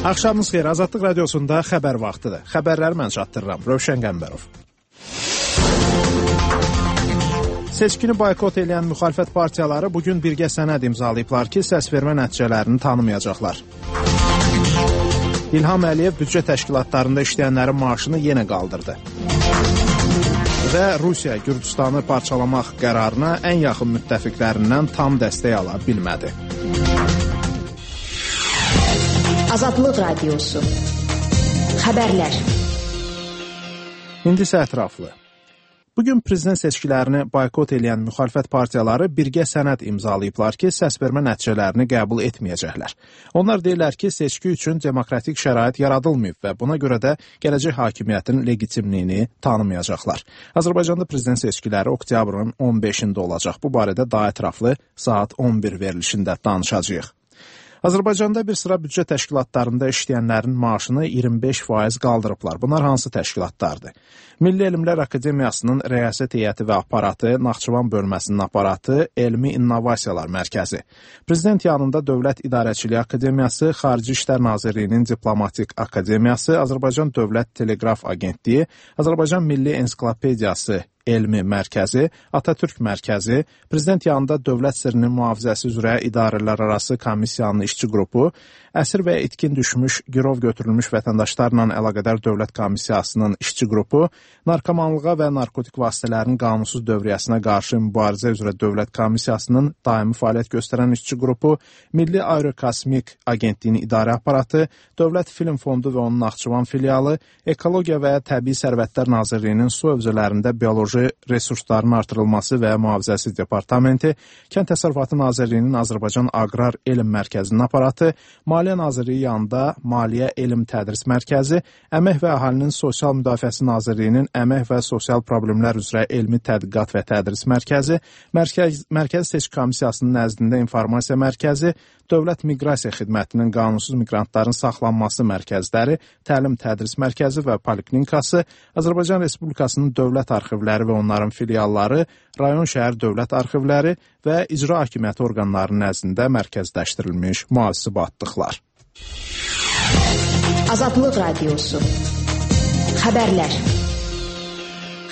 Axşamınız xeyir, Azadlıq Radiosunda xəbər vaxtıdır. Xəbərləri mən çatdırıram, Rövşən Qəmbərov. Seçkini boykot edən müxalifət partiyaları bugün birgə sənəd imzalayıblar ki, səsvermə nəticələrini tanımayacaqlar. İlham Əliyev büdcə təşkilatlarında işləyənlərin maaşını yenə qaldırdı. Və Rusiya Gürcüstanı parçalamaq qərarına ən yaxın müttəfiqlərindən tam dəstək ala bilmədi. Azadlıq Radiosu. Xəbərlər. İndi isə ətraflı. Bugün prezident seçkilərini boykot edən müxalifət partiyaları birgə sənəd imzalayıblar ki, səsvermə nəticələrini qəbul etməyəcəklər. Onlar deyirlər ki, seçki üçün demokratik şərait yaradılmayıb və buna görə də gələcək hakimiyyətin legitimliyini tanımayacaqlar. Azərbaycanda prezident seçkiləri oktyabrın 15-də olacaq. Bu barədə daha ətraflı saat 11 verilişində danışacağıq. Azərbaycanda bir sıra büdcə təşkilatlarında işləyənlərin maaşını 25% qaldırıblar. Bunlar hansı təşkilatlardır? Milli Elmlər Akademiyasının rəyasət heyəti və aparatı, Naxçıvan bölməsinin aparatı, Elmi İnnovasiyalar Mərkəzi. Prezident yanında Dövlət İdarəçiliyi Akademiyası, Xarici İşlər Nazirliyinin Diplomatik Akademiyası, Azərbaycan Dövlət Teleqraf Agentliyi, Azərbaycan Milli Ensiklopediyası Elmi Mərkəzi, Atatürk Mərkəzi, Prezident yanında Dövlət Sirrinin Mühafizəsi üzrə İdarələr Arası Komissiyanın işçi qrupu, əsir və itkin düşmüş, girov götürülmüş vətəndaşlarla əlaqədar Dövlət Komissiyasının işçi qrupu, Narkomanlığa və narkotik vasitələrin qanunsuz dövriyyəsinə qarşı mübarizə üzrə Dövlət Komissiyasının daimi fəaliyyət göstərən işçi qrupu, Milli Aerokosmik Agentliyinin idarə aparatı, Dövlət Film Fondu və onun Naxçıvan filialı, Ekologiya və Təbii Sərvətlər Nazirliyinin su hövzələrində bioloji resursların artırılması və mühafizəsi departamenti, Kənd Təsərrüfatı Nazirliyinin Azərbaycan Aqrar Elm Mərkəzinin aparatı, Maliyyə Nazirliyi yanında Maliyyə Elm Tədris Mərkəzi, Əmək və Əhalinin Sosial Müdafiəsi Nazirliyinin Əmək və Sosial Problemlər üzrə Elmi Tədqiqat və Tədris Mərkəzi, Mərkəzi Seçki Komissiyasının nəzdində İnformasiya Mərkəzi, Dövlət Miqrasiya Xidmətinin qanunsuz miqrantların saxlanması mərkəzləri, Təlim Tədris Mərkəzi və Poliklinikası, Azərbaycan Respublikasının dövlət arxivləri və onların filialları, rayon şəhər dövlət arxivləri və icra hakimiyyəti orqanlarının nəzdində mərkəzləşdirilmiş mühasibatlıqlar. Azadlıq Radiosu. Xəbərlər.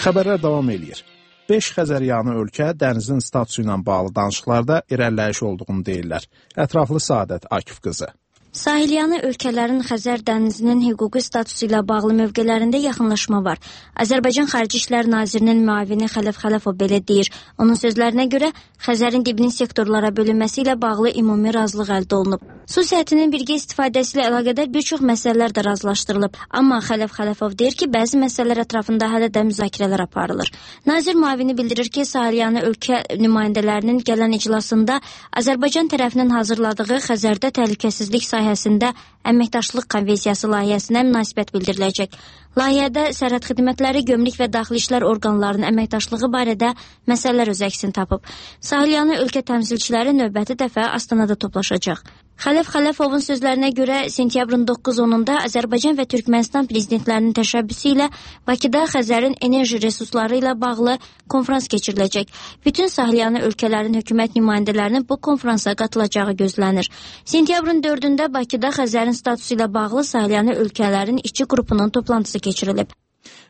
Xəbərlər davam edir. 5 Xəzəryanı ölkə dənizin statusu ilə bağlı danışıqlarda irəliləyiş olduğunu deyirlər. Ətraflı Səadət Akif qızı. Sahilyanı ölkələrin Xəzər dənizinin hüquqi statusu ilə bağlı mövqelərində yaxınlaşma var. Azərbaycan Xarici İşlər Nazirinin müavini Xələf Xələfov belə deyir. Onun sözlərinə görə Xəzərin dibinin sektorlara bölünməsi ilə bağlı ümumi razılıq əldə olunub. Su səthinin birgə istifadəsi ilə əlaqədar bir çox məsələlər də razılaşdırılıb. Amma Xələf Xələfov deyir ki, bəzi məsələlər ətrafında hələ də müzakirələr aparılır. Nazir müavini bildirir ki, Sahilyanı ölkə nümayəndələrinin gələn iclasında Azərbaycan tərəfinin hazırladığı Xəzərdə təhlükəsizlik sahəsində əməkdaşlıq konvensiyası layihəsinə münasibət bildiriləcək. Layihədə sərhəd xidmətləri, gömrük və daxili işlər orqanlarının əməkdaşlığı barədə məsələlər öz əksini tapıb. Sahilyanı ölkə təmsilçiləri növbəti dəfə Astanada toplaşacaq. Xələf Xələfovun sözlərinə görə sentyabrın 9-10-da Azərbaycan və Türkmənistan prezidentlərinin təşəbbüsü ilə Bakıda Xəzərin enerji resursları ilə bağlı konfrans keçiriləcək. Bütün Sahilyanı ölkələrin hökumət nümayəndələrinin bu konfransa qatılacağı gözlənir. Sentyabrın 4-də Bakıda Xəzərin statusu ilə bağlı Sahilyanı ölkələrin işçi qrupunun toplantısı keçirilib.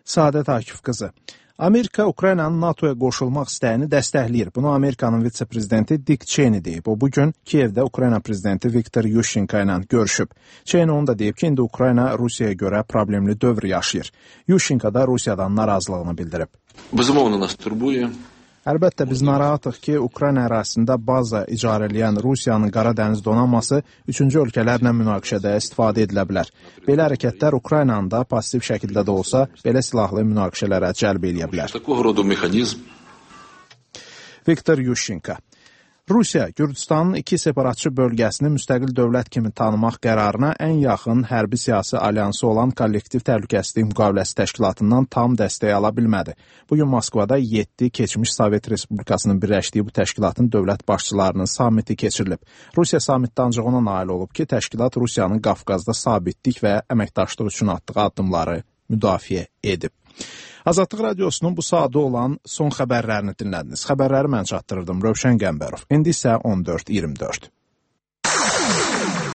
Səadət Akif qızı. Amerika Ukraynanın NATOya qoşulmaq istəyini dəstəkləyir. Bunu Amerikanın vitse-prezidenti Dick Cheney deyib. O bugün Kiyevdə Ukrayna prezidenti Viktor Yushchenko ilə görüşüb. Cheney onu da deyib ki, indi Ukrayna Rusiyaya görə problemli dövr yaşayır. Yushchenko da Rusiyadan narazılığını bildirib. Безумовно, нас турбує. Əlbəttə, biz narahatıq ki, Ukrayna ərazisində baza icarələyən Rusiyanın Qara Dəniz donanması üçüncü ölkələrlə münaqişədə istifadə edilə bilər. Belə hərəkətlər Ukraynanı da pasiv şəkildə də olsa belə silahlı münaqişələrə cəlb edə bilər. Viktor Yushchenko. Rusiya Gürcüstanın 2 separatçı bölgəsini müstəqil dövlət kimi tanımaq qərarına ən yaxın hərbi siyasi alyansı olan Kollektiv Təhlükəsizlik Müqaviləsi Təşkilatından tam dəstək ala bilmədi. Bugün Moskvada 7 keçmiş Sovet Respublikasının birləşdiyi bu təşkilatın dövlət başçılarının samiti keçirilib. Rusiya samitdə ancaq ona nail olub ki, təşkilat Rusiyanın Qafqazda sabitlik və əməkdaşlıq üçün atdığı addımları müdafiə edib. Azadlıq Radiosunun bu saatda olan son xəbərlərini dinlədiniz. Xəbərləri mən çatdırırdım, Rövşən Qəmbərov. İndi isə 14:24.